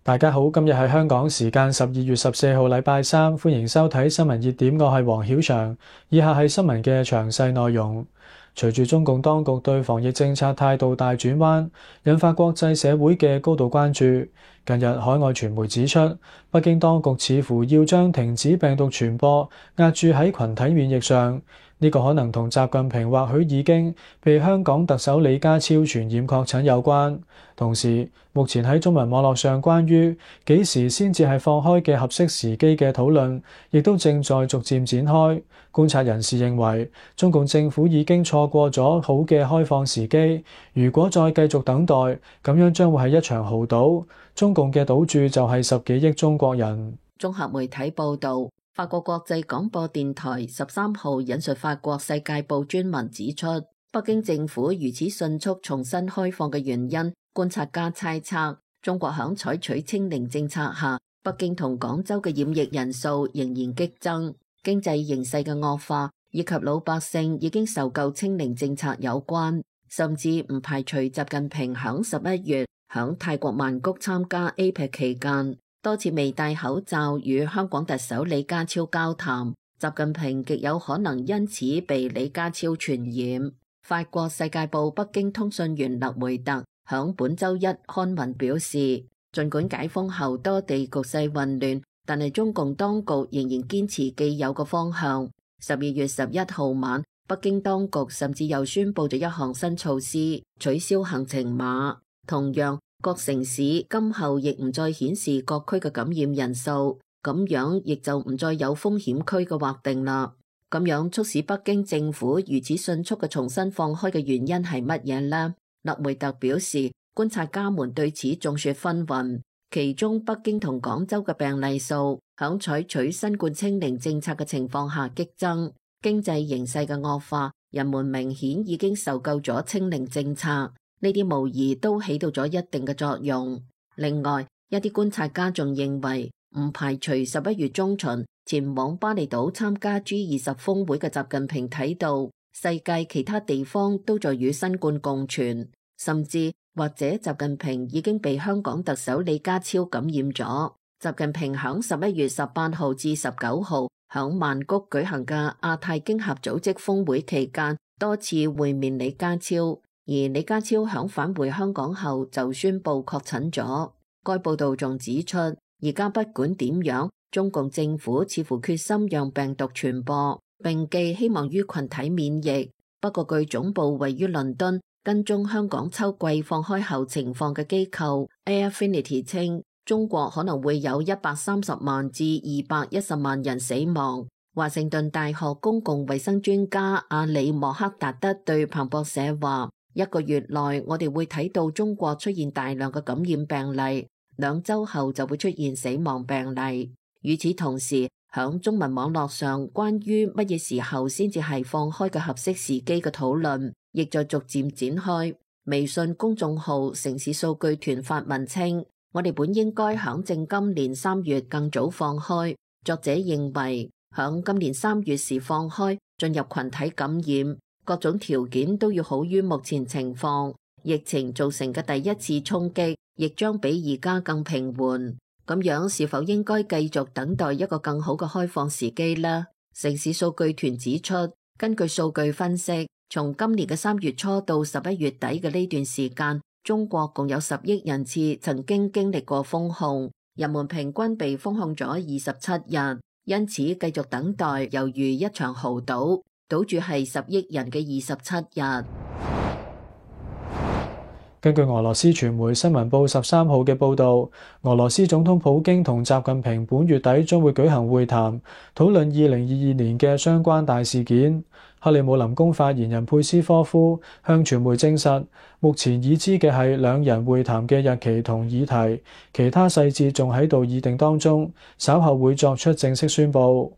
大家好，今日係香港時間12月14號，禮拜三，歡迎收睇新聞熱點，我係黃曉翔。以下係新聞嘅詳細內容。隨住中共當局對防疫政策態度大轉彎，引發國際社會嘅高度關注。近日，海外傳媒指出，北京當局似乎要將停止病毒傳播壓注喺群體免疫上。呢個可能同習近平或許已經被香港特首李家超傳染確診有關。同時，目前喺中文網絡上關於幾時先至係放開嘅合適時機嘅討論，亦都正在逐漸展開。觀察人士認為，中共政府已經錯過咗好嘅開放時機，如果再繼續等待，咁樣將會係一場豪賭。中共嘅賭注就係10幾億中國人。綜合媒體報導，法國國際廣播電台13號引述法國世界報專文指出，北京政府如此迅速重新開放嘅原因，觀察家猜測，中國響採取清零政策下，北京同廣州嘅染疫人數仍然激增，經濟形勢嘅惡化以及老百姓已經受夠清零政策有關，甚至唔排除習近平響11月響泰國曼谷參加 APEC 期間，多次未戴口罩與香港特首李家超交談，習近平極有可能因此被李家超傳染。法國世界報北京通訊員勒梅特響本周一刊文表示，儘管解封後多地局勢混亂，但係中共當局仍然堅持既有嘅方向。12月11號晚，北京當局甚至又宣布咗一項新措施，取消行程碼。同樣，各城市今後亦唔再顯示各區嘅感染人數，咁樣亦就唔再有風險區嘅劃定啦。咁樣促使北京政府如此迅速嘅重新放開嘅原因係乜嘢呢？勒梅特表示，觀察家們對此眾說紛紜，其中北京同廣州嘅病例數響採取新冠清零政策嘅情況下激增，經濟形勢嘅惡化，人們明顯已經受夠咗清零政策，呢啲無疑都起到咗一定嘅作用。另外，一啲觀察家仲認為，唔排除11月中旬前往巴厘島參加 G20 峰會嘅習近平睇到世界其他地方都在與新冠共存，甚至或者習近平已經被香港特首李家超感染咗。習近平響11月18號至19號響曼谷舉行嘅亞太經合組織峰會期間，多次會面李家超，而李家超響返回香港後就宣布確診咗。該報道仲指出，而家不管點樣，中共政府似乎決心讓病毒傳播，並寄希望於群體免疫。不過據總部位於倫敦跟蹤香港秋季放開後情況嘅機構 Airfinity 稱，中國可能會有130萬至210萬人死亡。華盛頓大學公共衛生專家阿里莫克達德對彭博社話，1個月內我哋會睇到中國出現大量嘅感染病例，2週後就會出現死亡病例。與此同時，響中文網絡上關於乜嘢時候先至係放開嘅合適時機嘅討論，亦在逐漸展開。微信公眾號城市數據團發文稱，我哋本應該響正今年3月更早放開。作者認為，響今年3月時放開，進入群體感染，各種條件都要好於目前情況。疫情造成嘅第一次衝擊，亦將比而家更平緩。咁樣是否應該繼續等待一個更好嘅開放時機呢？城市數據團指出，根據數據分析，從今年嘅3月初到11月底嘅呢段時間，中國共有10億人次曾經經歷過封控，人們平均被封控咗27日，因此繼續等待猶如一場豪賭，賭注係10億人嘅27日。根據俄羅斯傳媒新聞報13號嘅報導，俄羅斯總統普京同習近平本月底將會舉行會談，討論2022年嘅相關大事件。克里姆林宮發言人佩斯科夫向傳媒證實，目前已知嘅係兩人會談嘅日期同議題，其他細節仲喺度議定當中，稍後會作出正式宣佈。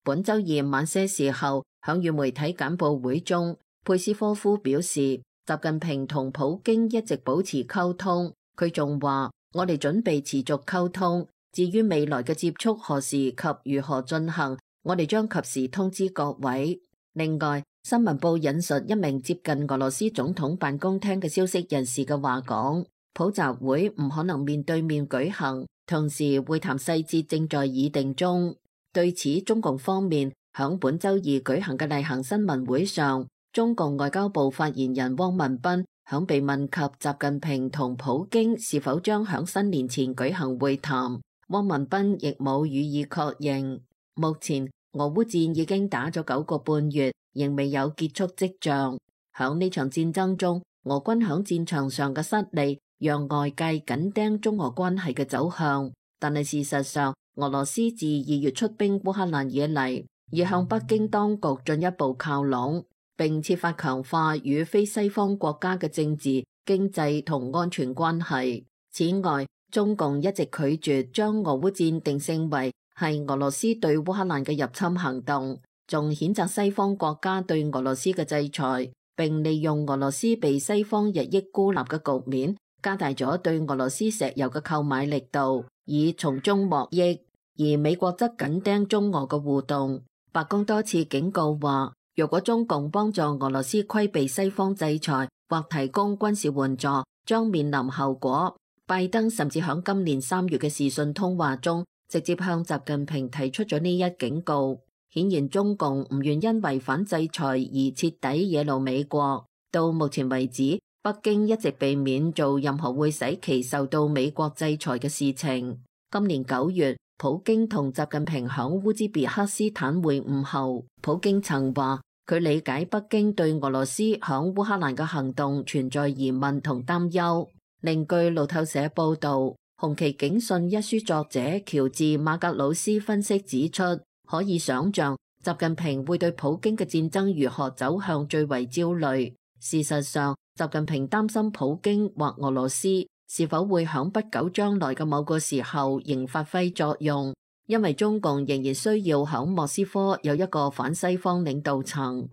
本週二晚些時候，響與媒體簡報會中，佩斯科夫表示，習近平同普京一直保持溝通，佢仲話：我哋準備持續溝通，至於未來嘅接觸何時及如何進行，我哋將及時通知各位。另外，新聞報引述一名接近俄羅斯總統辦公廳嘅消息人士嘅話講，普集會唔可能面對面舉行，同時會談細節正在議定中。對此，中共方面響本週二舉行嘅例行新聞會上，中共外交部發言人汪文斌響被問及習近平同普京是否將響新年前舉行會談，汪文斌亦冇予以確認。目前俄烏戰已經打咗9個半月，仍未有結束跡象。響呢場戰爭中，俄軍響戰場上嘅失利，讓外界緊盯中俄關係嘅走向。但係事實上，俄羅斯自2月出兵烏克蘭以嚟，已向北京當局進一步靠攏，並設法強化與非西方國家嘅政治、經濟同安全關係。此外，中共一直拒絕將俄烏戰定性為係俄羅斯對烏克蘭嘅入侵行動，仲譴責西方國家對俄羅斯嘅制裁，並利用俄羅斯被西方日益孤立嘅局面，加大咗對俄羅斯石油嘅購買力度，以從中獲益。而美國則緊盯中俄嘅互動，白宮多次警告話，若果中共幫助俄羅斯規避西方制裁或提供軍事援助，將面臨後果。拜登甚至響今年3月嘅視訊通話中，直接向習近平提出咗呢一警告。顯然中共唔願因違反制裁而徹底惹怒美國。到目前為止，北京一直避免做任何會使其受到美國制裁嘅事情。今年9月，普京同習近平響烏茲別克斯坦會晤後，普京曾話佢理解北京對俄羅斯響烏克蘭嘅行動存在疑問同擔憂。另據路透社報道，《紅旗警訊》一書作者喬治馬格魯斯分析指出，可以想象習近平會對普京嘅戰爭如何走向最為焦慮。事實上，習近平擔心普京或俄羅斯是否會響不久將來嘅某個時候仍發揮作用，因為中共仍然需要響莫斯科有一個反西方領導層。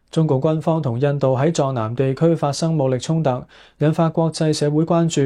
中共軍方同印度喺藏南地區發生武力衝突，引發國際社會關注。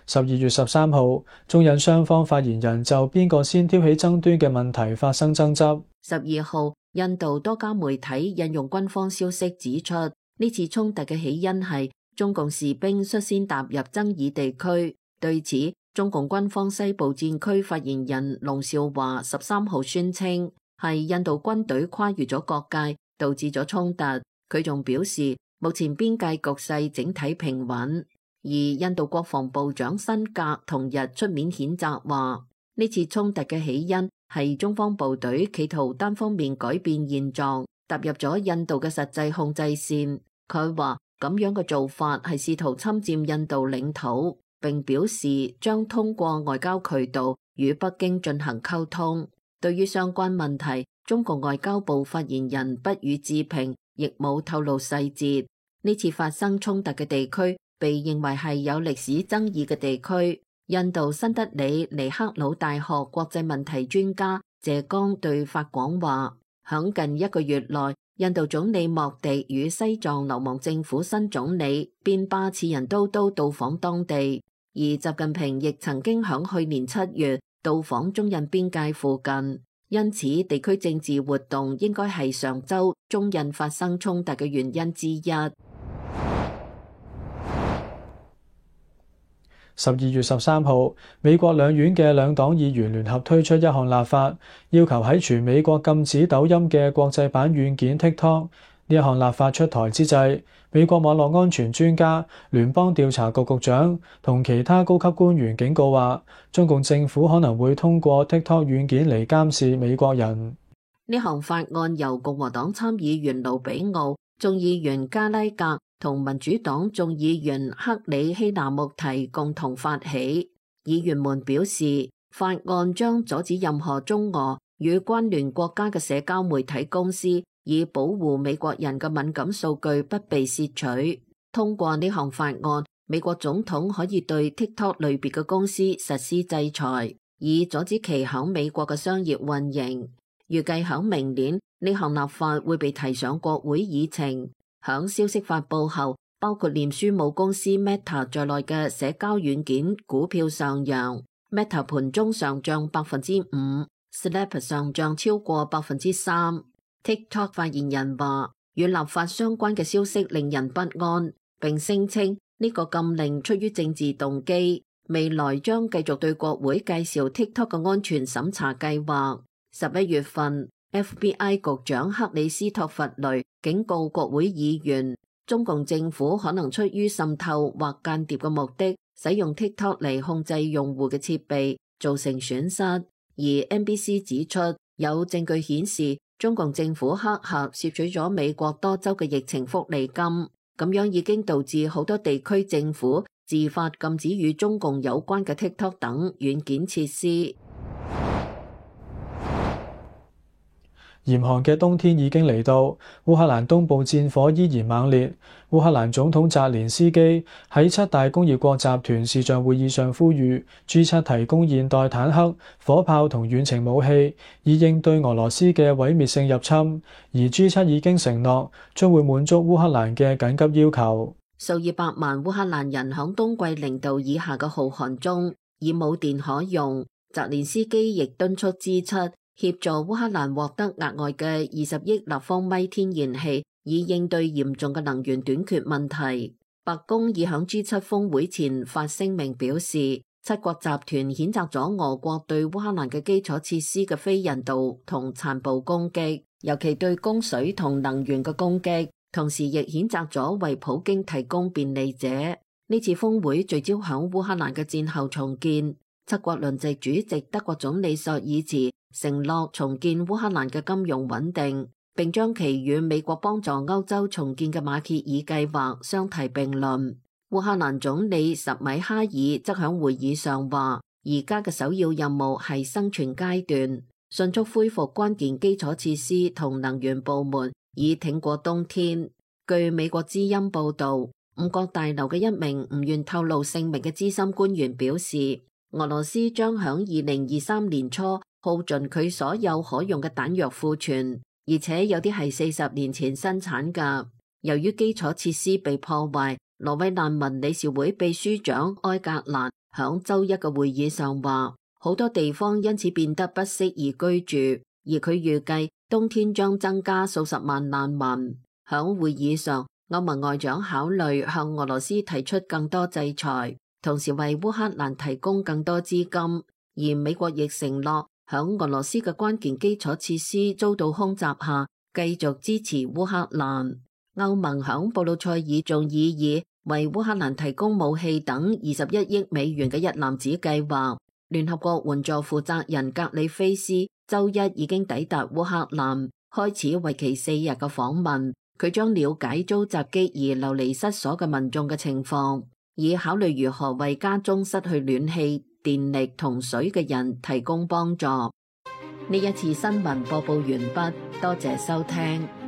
12月13號，中印雙方發言人就邊個先挑起爭端嘅問題發生爭執。12號，印度多家媒體引用軍方消息指出，呢次衝突嘅起因係中共士兵率先踏入爭議地區。對此，中共軍方西部戰區發言人龍少華13號宣稱，係印度軍隊跨越咗國界，導致咗衝突。佢仲表示，目前邊界局勢整體平穩。而印度國防部長辛格同日出面譴責話，呢次衝突嘅起因係中方部隊企圖單方面改變現狀，踏入咗印度嘅實際控制線。佢話咁樣嘅做法係試圖侵佔印度領土，並表示將通過外交渠道與北京進行溝通。對於相關問題，中國外交部發言人不予置評，亦冇透露細節。呢次發生衝突嘅地區被認為係有歷史爭議嘅地區。印度新德里尼克魯大學國際問題專家謝剛對法廣話，響近1個月內，印度總理莫迪與西藏流亡政府新總理邊巴次仁都到訪當地，而習近平亦曾經響去年7月到訪中印邊界附近。因此，地區政治活動應該係上週中印發生衝突嘅原因之一。12月13號，美國兩院嘅兩黨議員聯合推出一項立法，要求喺全美國禁止抖音嘅國際版軟件 TikTok。呢一項立法出台之際，美國網絡安全專家、聯邦調查局局長同其他高級官員警告話，中共政府可能會通過 TikTok 軟件嚟監視美國人。呢項法案由共和黨參議員盧比奧、眾議員加拉格同民主黨眾議員克里希納穆提共同發起。議員們表示，法案將阻止任何中俄與關聯國家嘅社交媒體公司以保護美國人嘅敏感數據不被竊取。通過呢項法案，美國總統可以對 TikTok 類別嘅公司實施制裁，以阻止其響美國嘅商業運營。預計響明年，呢項立法會被提上國會議程。響消息發佈後，包括臉書母公司 Meta 在內嘅社交軟件股票上揚。Meta 盤中上漲5%，Snap 上漲超過3%。TikTok 發言人話，與立法相關嘅消息令人不安。並聲稱呢個禁令出於政治動機，未來將繼續對國會介紹 TikTok 嘅安全審查計劃。11月份，FBI 局長克里斯托弗雷警告國會議員，中共政府可能出於滲透或間諜嘅目的，使用 TikTok 嚟控制用戶嘅設備，造成損失。而 NBC 指出，有證據顯示中共政府黑客竊取咗美國多州嘅疫情福利金，咁樣已經導致好多地區政府自發禁止與中共有關嘅 TikTok 等軟件設施。嚴寒嘅冬天已經嚟到，烏克蘭東部戰火依然猛烈。烏克蘭總統澤連斯基喺7大工業國集團視像會議上呼籲 G7 提供現代坦克、火炮同遠程武器，以應對俄羅斯嘅毀滅性入侵。而 G7 已經承諾將會滿足烏克蘭嘅緊急要求。數以百萬烏克蘭人響冬季0度以下嘅酷寒中已冇電可用。澤連斯基亦敦促 G7協助烏克蘭獲得額外嘅20億立方米天然氣，以應對嚴重嘅能源短缺問題。白宮已響 G7 峰會前發聲明表示，7國集團譴責咗俄國對烏克蘭嘅基礎設施嘅非人道同殘暴攻擊，尤其對供水同能源嘅攻擊，同時亦譴責咗為普京提供便利者。呢次峰會聚焦響烏克蘭嘅戰後重建。7國輪值主席德國總理朔爾茨承諾重建烏克蘭嘅金融穩定，並將其與美國幫助歐洲重建嘅馬歇爾計劃相提並論。烏克蘭總理什米哈爾則響會議上話，而家嘅首要任務係生存階段，迅速恢復關鍵基礎設施同能源部門，以挺過冬天。據美國之音報道，5角大樓嘅一名唔願透露姓名嘅資深官員表示，俄羅斯將響2023年初耗盡佢所有可用嘅彈藥庫存，而且有啲係40年前生產㗎。由於基礎設施被破壞，挪威難民理事會秘書長埃格蘭響週一嘅會議上話，好多地方因此變得不適宜居住，而佢預計冬天將增加數十萬難民。響會議上，歐盟外長考慮向俄羅斯提出更多制裁，同時為烏克蘭提供更多資金，而美國亦承諾響俄羅斯嘅關鍵基礎設施遭到空襲下，繼續支持烏克蘭。歐盟響布魯塞爾仲議議為烏克蘭提供武器等21億美元嘅一籃子計劃。聯合國援助負責人格里菲斯週一已經抵達烏克蘭，開始為期4日嘅訪問。佢將了解遭襲擊而流離失所嘅民眾嘅情況，以考慮如何為家中失去暖氣、電力同水嘅人提供幫助。呢一次新聞播報完畢，多謝收聽。